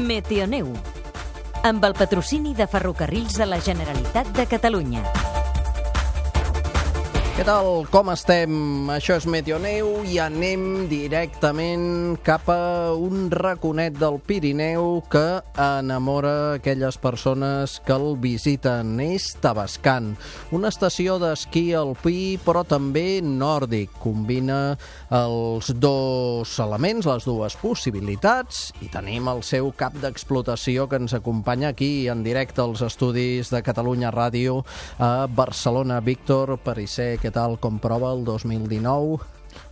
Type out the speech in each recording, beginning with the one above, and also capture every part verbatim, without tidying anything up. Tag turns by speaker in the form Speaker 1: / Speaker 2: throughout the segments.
Speaker 1: Meteoneu, amb el patrocini de Ferrocarrils de la Generalitat de Catalunya.
Speaker 2: Què tal? Com estem? Això és Meteoneu i anem directament cap a un raconet del Pirineu que enamora aquelles persones que el visiten. És Tavascan, una estació d'esquí alpí però també nòrdic. Combina els dos elements, les dues possibilitats, i tenim el seu cap d'explotació que ens acompanya aquí en directe als estudis de Catalunya Ràdio a Barcelona. Víctor Perisser, què tal? Com prova el dos mil dinou?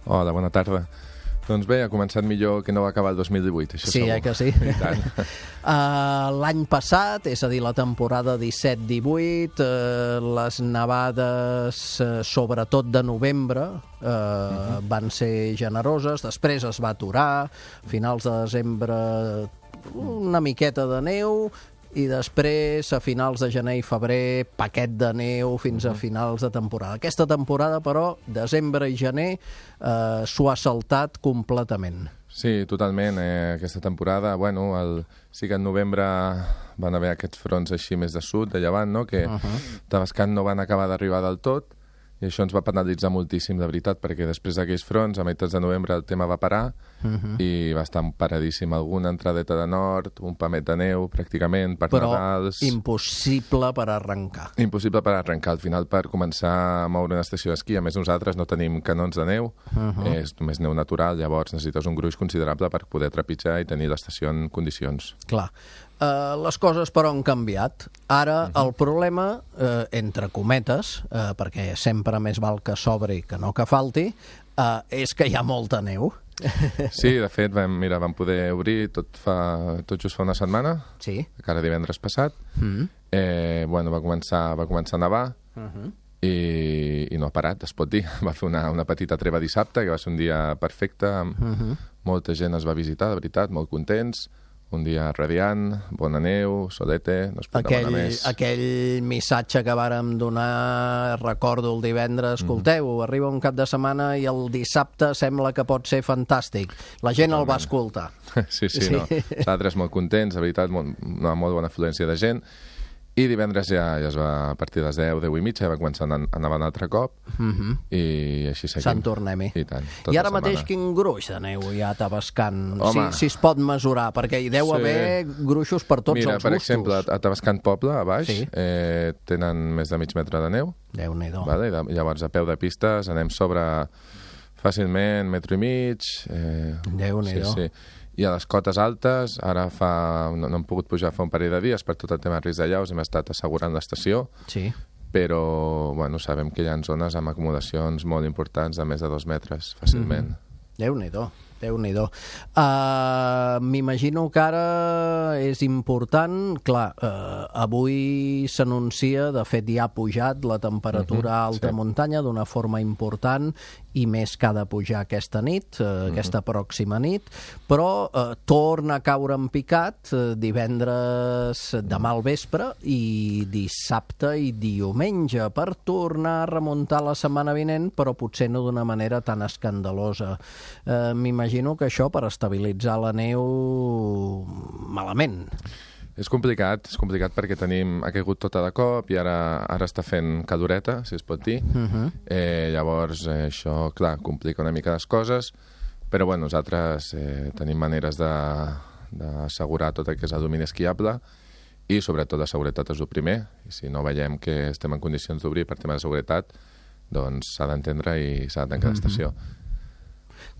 Speaker 3: Hola, bona tarda. Doncs bé, ha començat millor que no va acabar el dos mil divuit, això
Speaker 2: sí,
Speaker 3: segur.
Speaker 2: Eh que sí?
Speaker 3: I tant.
Speaker 2: uh, L'any passat, és a dir, la temporada disset divuit, uh, les nevades, uh, sobretot de novembre, uh, uh-huh. van ser generoses, després es va aturar, a finals de desembre una miqueta de neu, i després, a finals de gener i febrer, paquet de neu fins a finals de temporada. Aquesta temporada, però, desembre i gener, eh, s'ho ha saltat completament.
Speaker 3: Sí, totalment. Eh, aquesta temporada, bueno, el, sí que en novembre van haver aquests fronts així més de sud, de llevant, no?, que uh-huh. Tavascan no van acabar d'arribar del tot, i això ens va penalitzar moltíssim, de veritat, perquè després d'aquells fronts, a meitats de novembre, el tema va parar uh-huh. i va estar paradíssim. Alguna entradeta de nord, un pamet de neu, pràcticament, per
Speaker 2: Però
Speaker 3: Nadals...
Speaker 2: Però impossible per arrencar.
Speaker 3: Impossible per arrencar. Al final, per començar a moure una estació d'esquí, a més nosaltres no tenim canons de neu, uh-huh. és només neu natural, llavors necessites un gruix considerable per poder trepitjar i tenir l'estació en condicions.
Speaker 2: Clar. Uh, les coses, però, han canviat. Ara, uh-huh. el problema, uh, entre cometes, uh, perquè sempre més val que sobri que no que falti, uh, és que hi ha molta neu.
Speaker 3: Sí, de fet, vam, mira, vam poder obrir tot, fa, tot just fa una setmana,
Speaker 2: sí.
Speaker 3: encara divendres passat. Uh-huh. eh, bueno, va començar, va començar a nevar, uh-huh. i, i no ha parat, es pot dir. Va fer una, una petita treva dissabte, que va ser un dia perfecte, uh-huh. molta gent es va visitar, de veritat, molt contents. Un dia radiant, bona neu, solete, no es pot
Speaker 2: aquell,
Speaker 3: demanar més.
Speaker 2: Aquell missatge que vàrem donar, recordo el divendres, escolteu, mm-hmm. arriba un cap de setmana i el dissabte sembla que pot ser fantàstic. La gent Totalment. El va escoltar.
Speaker 3: Sí, sí, sí. No. Nosaltres molt contents, de veritat, molt, una molt bona afluència de gent. I divendres ja, ja es va, a partir de les deu, deu i mitja, ja va començar a anar un altre cop, uh-huh. i així seguim.
Speaker 2: Sant tornem-hi.
Speaker 3: I tant.
Speaker 2: I ara mateix quin gruix de neu hi ha a Tavascan?
Speaker 3: Home.
Speaker 2: Si, si es pot mesurar, perquè hi deu sí. haver gruixos per tots
Speaker 3: Mira,
Speaker 2: els
Speaker 3: per
Speaker 2: gustos.
Speaker 3: exemple, a Tavascan Poble, a baix, sí. eh, tenen més de mig metre de neu.
Speaker 2: Déu-n'hi-do.
Speaker 3: Vale? Llavors, a peu de pistes, anem sobre fàcilment metro i mig. Eh,
Speaker 2: Déu-n'hi-do.
Speaker 3: Sí, sí. I a les cotes altes, ara fa, no, no hem pogut pujar fa un parell de dies per tot el tema de risc d'allaus, hem estat assegurant l'estació,
Speaker 2: sí.
Speaker 3: però bueno, sabem que hi ha zones amb acomodacions molt importants de més de dos metres, fàcilment.
Speaker 2: Mm-hmm. Déu-n'hi-do. Déu-n'hi-do. Uh, M'imagino que ara és important, clar, uh, avui s'anuncia, de fet ja ha pujat la temperatura uh-huh, alta sí. muntanya d'una forma important i més que ha de pujar aquesta nit, uh, uh-huh. aquesta pròxima nit, però uh, torna a caure en picat uh, divendres demà al vespre i dissabte i diumenge per tornar a remuntar la setmana vinent, però potser no d'una manera tan escandalosa. Uh, M'imagino Imagino que això per estabilitzar la neu malament.
Speaker 3: És complicat, és complicat perquè tenim, ha caigut tota de cop i ara, ara està fent caloreta, si es pot dir. Uh-huh. eh, llavors, eh, això, clar, complica una mica les coses, però bueno, nosaltres eh, tenim maneres d'assegurar tot el que és el domini esquiable i sobretot la seguretat és el primer. I si no veiem que estem en condicions d'obrir per tema de seguretat, doncs s'ha d'entendre i s'ha de tancar uh-huh. l'estació.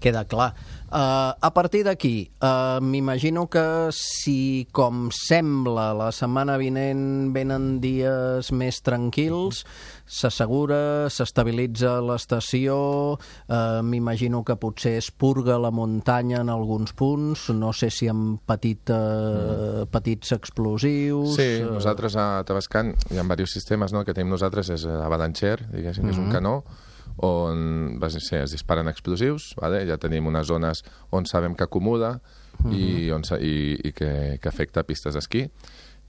Speaker 2: Queda clar. Uh, a partir d'aquí, uh, m'imagino que si, com sembla, la setmana vinent venen dies més tranquils, s'assegura, s'estabilitza l'estació, uh, m'imagino que potser es purga la muntanya en alguns punts, no sé si amb petit, uh, petits explosius...
Speaker 3: Sí, nosaltres a Tavascan hi ha diversos sistemes, no? El que tenim nosaltres és avalancher, diguéssim, que és un canó, on sé, es disparen explosius, vale? Ja tenim unes zones on sabem que acumula uh-huh. i, on, i, i que, que afecta pistes d'esquí.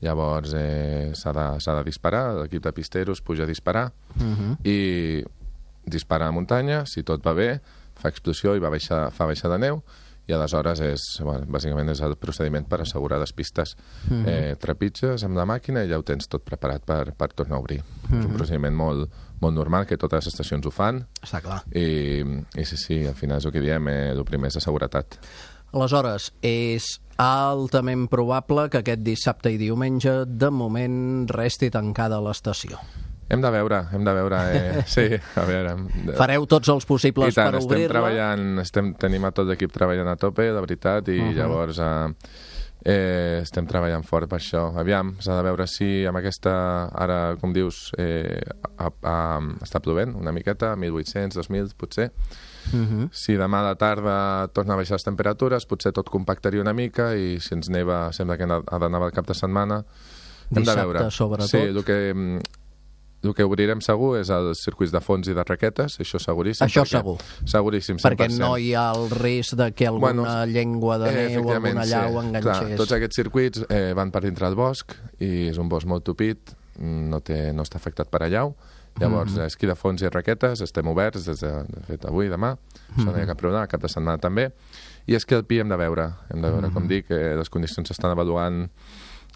Speaker 3: Llavors eh, s'ha de, s'ha de disparar, l'equip de pisteros puja a disparar uh-huh. i dispara a la muntanya, si tot va bé, fa explosió i va baixar, fa baixar de neu, i aleshores és, bueno, bàsicament és el procediment per assegurar les pistes. Mm-hmm. eh, trepitges amb la màquina i ja ho tens tot preparat per, per tornar a obrir. Mm-hmm. És un procediment molt, molt normal, que totes les estacions ho fan.
Speaker 2: Està clar.
Speaker 3: I, i sí, sí, al final és el que diem, eh, el primer és de seguretat.
Speaker 2: Aleshores, és altament probable que aquest dissabte i diumenge, de moment, resti tancada l'estació.
Speaker 3: Hem de veure, hem de veure, eh, sí, a veure.
Speaker 2: Fareu tots els possibles
Speaker 3: tant,
Speaker 2: per obrir-la?
Speaker 3: estem treballant, estem, tenim a tot l'equip treballant a tope, la veritat, i uh-huh. llavors eh, eh, estem treballant fort per això. Aviam, s'ha de veure si amb aquesta, ara, com dius, eh, a, a, està plovent una miqueta, mil vuit-cents, dos mil, potser. Uh-huh. Si demà a la tarda torna a baixar les temperatures, potser tot compactaria una mica, i si ens neva, sembla que ha de nevar el cap de setmana. Hem
Speaker 2: Dissabte,
Speaker 3: de veure.
Speaker 2: sobretot.
Speaker 3: Sí, el que... El que obrirem segur és els circuits de fons i de raquetes, això seguríssim.
Speaker 2: Això
Speaker 3: perquè,
Speaker 2: segur.
Speaker 3: Seguríssim, cent per cent.
Speaker 2: Perquè no hi ha el risc de que alguna bueno, llengua de
Speaker 3: eh,
Speaker 2: neu o alguna llau sí. enganxés.
Speaker 3: Clar, tots aquests circuits eh, van per dintre del bosc, i és un bosc molt tupit, no, té, no està afectat per allau. Llavors, mm-hmm. esquí de fons i raquetes, estem oberts des de, de fet, avui, demà, mm-hmm. això no hi ha cap problema, cap de setmana també. I esquí alpí hem de veure, hem de veure, mm-hmm. com dic, eh, les condicions s'estan avaluant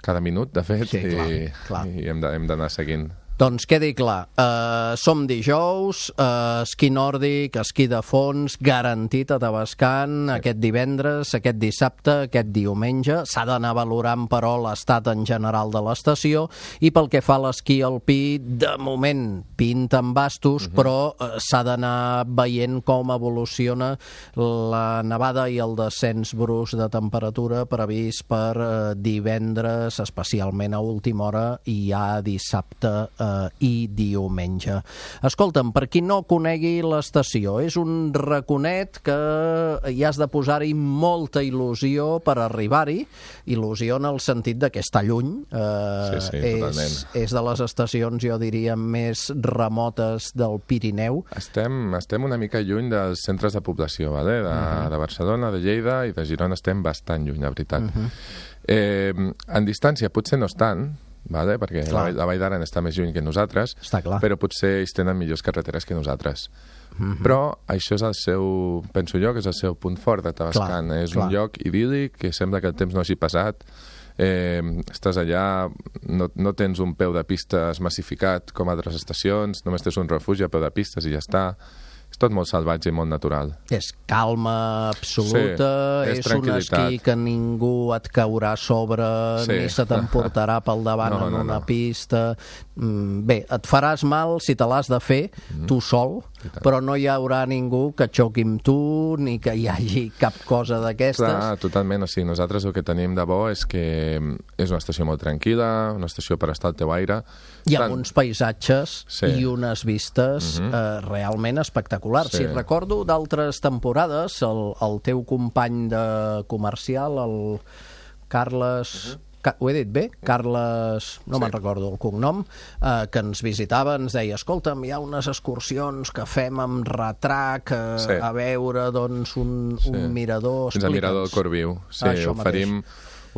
Speaker 3: cada minut, de fet,
Speaker 2: sí, clar,
Speaker 3: i,
Speaker 2: clar.
Speaker 3: i hem d'anar seguint.
Speaker 2: Doncs quedi clar, uh, som dijous, uh, esquí nòrdic, esquí de fons, garantit a Tavascan, sí. aquest divendres, aquest dissabte, aquest diumenge. S'ha d'anar valorant, però, l'estat en general de l'estació, i pel que fa a l'esquí alpí, de moment pinten bastos, uh-huh. però uh, s'ha d'anar veient com evoluciona la nevada i el descens brusc de temperatura previst per uh, divendres, especialment a última hora, i ja dissabte uh, i diumenge. Escolta'm, per qui no conegui l'estació, és un raconet que hi has de posar-hi molta il·lusió per arribar-hi, il·lusió en el sentit de que està lluny. Eh,
Speaker 3: sí, sí, totalment.
Speaker 2: És, és de les estacions, jo diria, més remotes del Pirineu.
Speaker 3: Estem, estem una mica lluny dels centres de població, vale? de, uh-huh. de Barcelona, de Lleida i de Girona estem bastant lluny, la veritat. Uh-huh. eh, en distància potser no estan, vale? Perquè la, la Vall d'Aran està més lluny que nosaltres, però potser ells tenen millors carreteres que nosaltres. Mm-hmm. Però això és el seu, penso jo, que és el seu punt fort de Tavascan. Clar, és clar. Un lloc idíl·lic, que sembla que el temps no hagi passat. Eh, estàs allà, no, no tens un peu de pistes massificat com altres estacions, només tens un refugi a peu de pistes i ja està. És tot molt salvatge i molt natural. És
Speaker 2: calma absoluta, sí, és, és un esquí que ningú et caurà a sobre, sí. ni se t'emportarà pel davant no, en una no. pista. Bé, et faràs mal si te l'has de fer, mm. tu sol, però no hi haurà ningú que xoqui amb tu, ni que hi hagi cap cosa d'aquestes.
Speaker 3: Clar, totalment. O sigui, nosaltres el que tenim de bo és que és una estació molt tranquil·la, una estació per estar al teu aire.
Speaker 2: Hi ha uns paisatges
Speaker 3: sí.
Speaker 2: i unes vistes mm-hmm. eh, realment espectaculars. Sí. Si recordo d'altres temporades, el, el teu company de comercial, el Carles... Uh-huh. Ho he dit bé? Carles, no sí. me'n recordo el cognom, eh, que ens visitava, ens deia, escolta'm, hi ha unes excursions que fem amb retrac eh, sí. a veure doncs, un, sí. un mirador.
Speaker 3: Fins al mirador del Corviu. Sí, ah, oferim,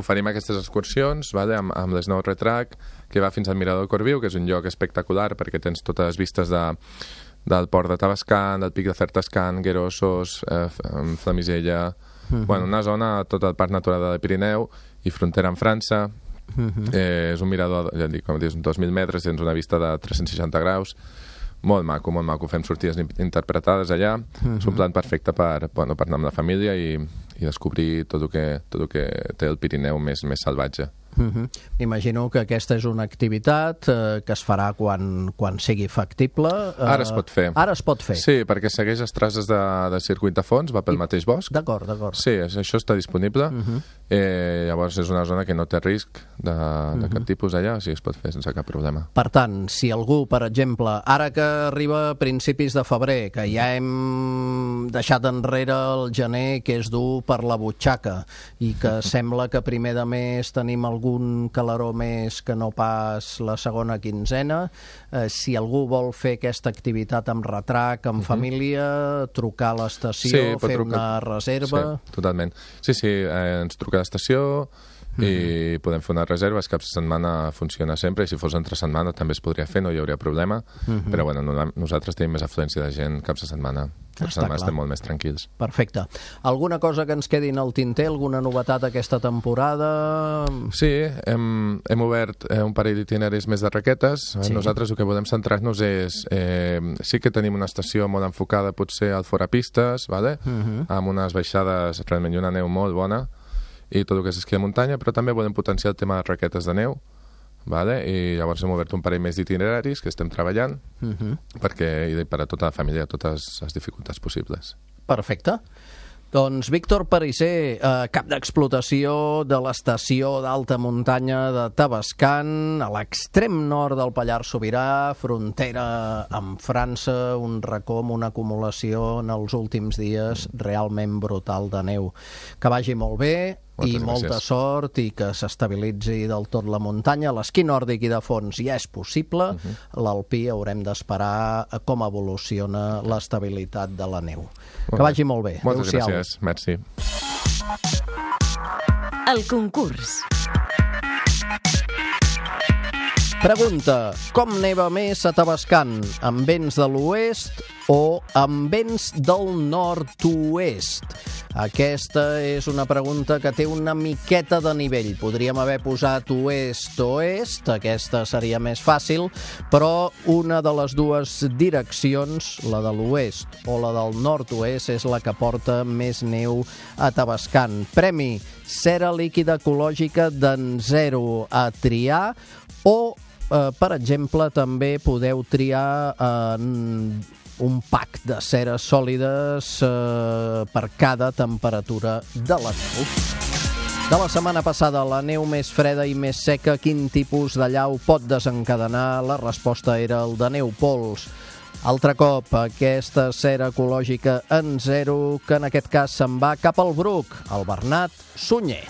Speaker 3: oferim aquestes excursions, vale, amb, amb l'Snow Retrac, que va fins al mirador del Corviu, que és un lloc espectacular perquè tens totes les vistes de, del port de Tavascan, del pic de Certascan, Guerossos, eh, Flamisella... Uh-huh. Bueno, una zona, tot el Parc Natural del Pirineu i frontera amb França. Uh-huh. eh, és un mirador, ja dic, com dius, dos mil metres, tens una vista de tres-cents seixanta graus. Molt maco, molt maco. Fem sortides interpretades allà. Uh-huh. És un plan perfecte per, bueno, per anar amb la família i, i descobrir tot el que, tot el que té el Pirineu més, més salvatge.
Speaker 2: Uh-huh. Imagino que aquesta és una activitat eh, que es farà quan, quan sigui factible. Eh,
Speaker 3: ara es pot fer.
Speaker 2: Ara es pot fer.
Speaker 3: Sí, perquè segueix les traces de, de circuit de fons, va pel I... mateix bosc.
Speaker 2: D'acord, d'acord.
Speaker 3: Sí, això està disponible. Uh-huh. eh, llavors és una zona que no té risc de, uh-huh. de cap tipus allà, o sigui, es pot fer sense cap problema.
Speaker 2: Per tant, si algú, per exemple, ara que arriba a principis de febrer, que ja hem deixat enrere el gener, que és dur per la butxaca, i que sembla que primer de mes tenim algun caloró més que no pas la segona quinzena, eh, si algú vol fer aquesta activitat amb retrac, amb uh-huh. família, trucar a l'estació, sí, fer trucar... una reserva...
Speaker 3: Sí, totalment. Sí, sí, eh, ens truca a l'estació, i podem fer unes reserves, caps de setmana funciona sempre, i si fos entre setmana també es podria fer, no hi hauria problema, uh-huh. però bueno, no, nosaltres tenim més afluència de gent caps de setmana, per setmana estem molt més tranquils.
Speaker 2: Perfecte. Alguna cosa que ens quedi en el tinter, alguna novetat aquesta temporada?
Speaker 3: Sí, hem, hem obert eh, un parell d'itineraris més de raquetes. Sí. Nosaltres el que volem centrar-nos és... Eh, sí que tenim una estació molt enfocada potser al fora pistes, vale? uh-huh. amb unes baixades realment i una neu molt bona, i tot el que és esquí de muntanya, però també volem potenciar el tema de raquetes de neu, vale? I llavors hem obert un parell més d'itineraris que estem treballant uh-huh. perquè i per a tota la família, totes les dificultats possibles.
Speaker 2: Perfecte. Doncs Víctor Parisser, eh, cap d'explotació de l'estació d'alta muntanya de Tavascan, a l'extrem nord del Pallars Sobirà, frontera amb França, un racó amb una acumulació en els últims dies realment brutal de neu. Que vagi molt bé, moltes i molta gràcies. Sort, i que s'estabilitzi del tot la muntanya. L'esquí nòrdic i de fons ja és possible, uh-huh. l'alpí haurem d'esperar com evoluciona l'estabilitat de la neu. Molt que vagi molt bé.
Speaker 3: Moltes gràcies, merci.
Speaker 1: El concurs.
Speaker 2: Pregunta: com neva més a Tavascan? Amb vents de l'oest o amb vents del nord-oest? Aquesta és una pregunta que té una miqueta de nivell. Podríem haver posat oest-oest, aquesta seria més fàcil, però una de les dues direccions, la de l'oest o la del nord-oest, és la que porta més neu a Tavascan. Premi: cera líquida ecològica d'en zero a triar, o, eh, per exemple, també podeu triar en eh, un pack de ceres sòlides eh, per cada temperatura de la neu. De la setmana passada, la neu més freda i més seca, quin tipus de llau pot desencadenar? La resposta era el de neu pols. Altre cop, aquesta cera ecològica en zero, que en aquest cas se'n va cap al Bruc, el Bernat Sunyer.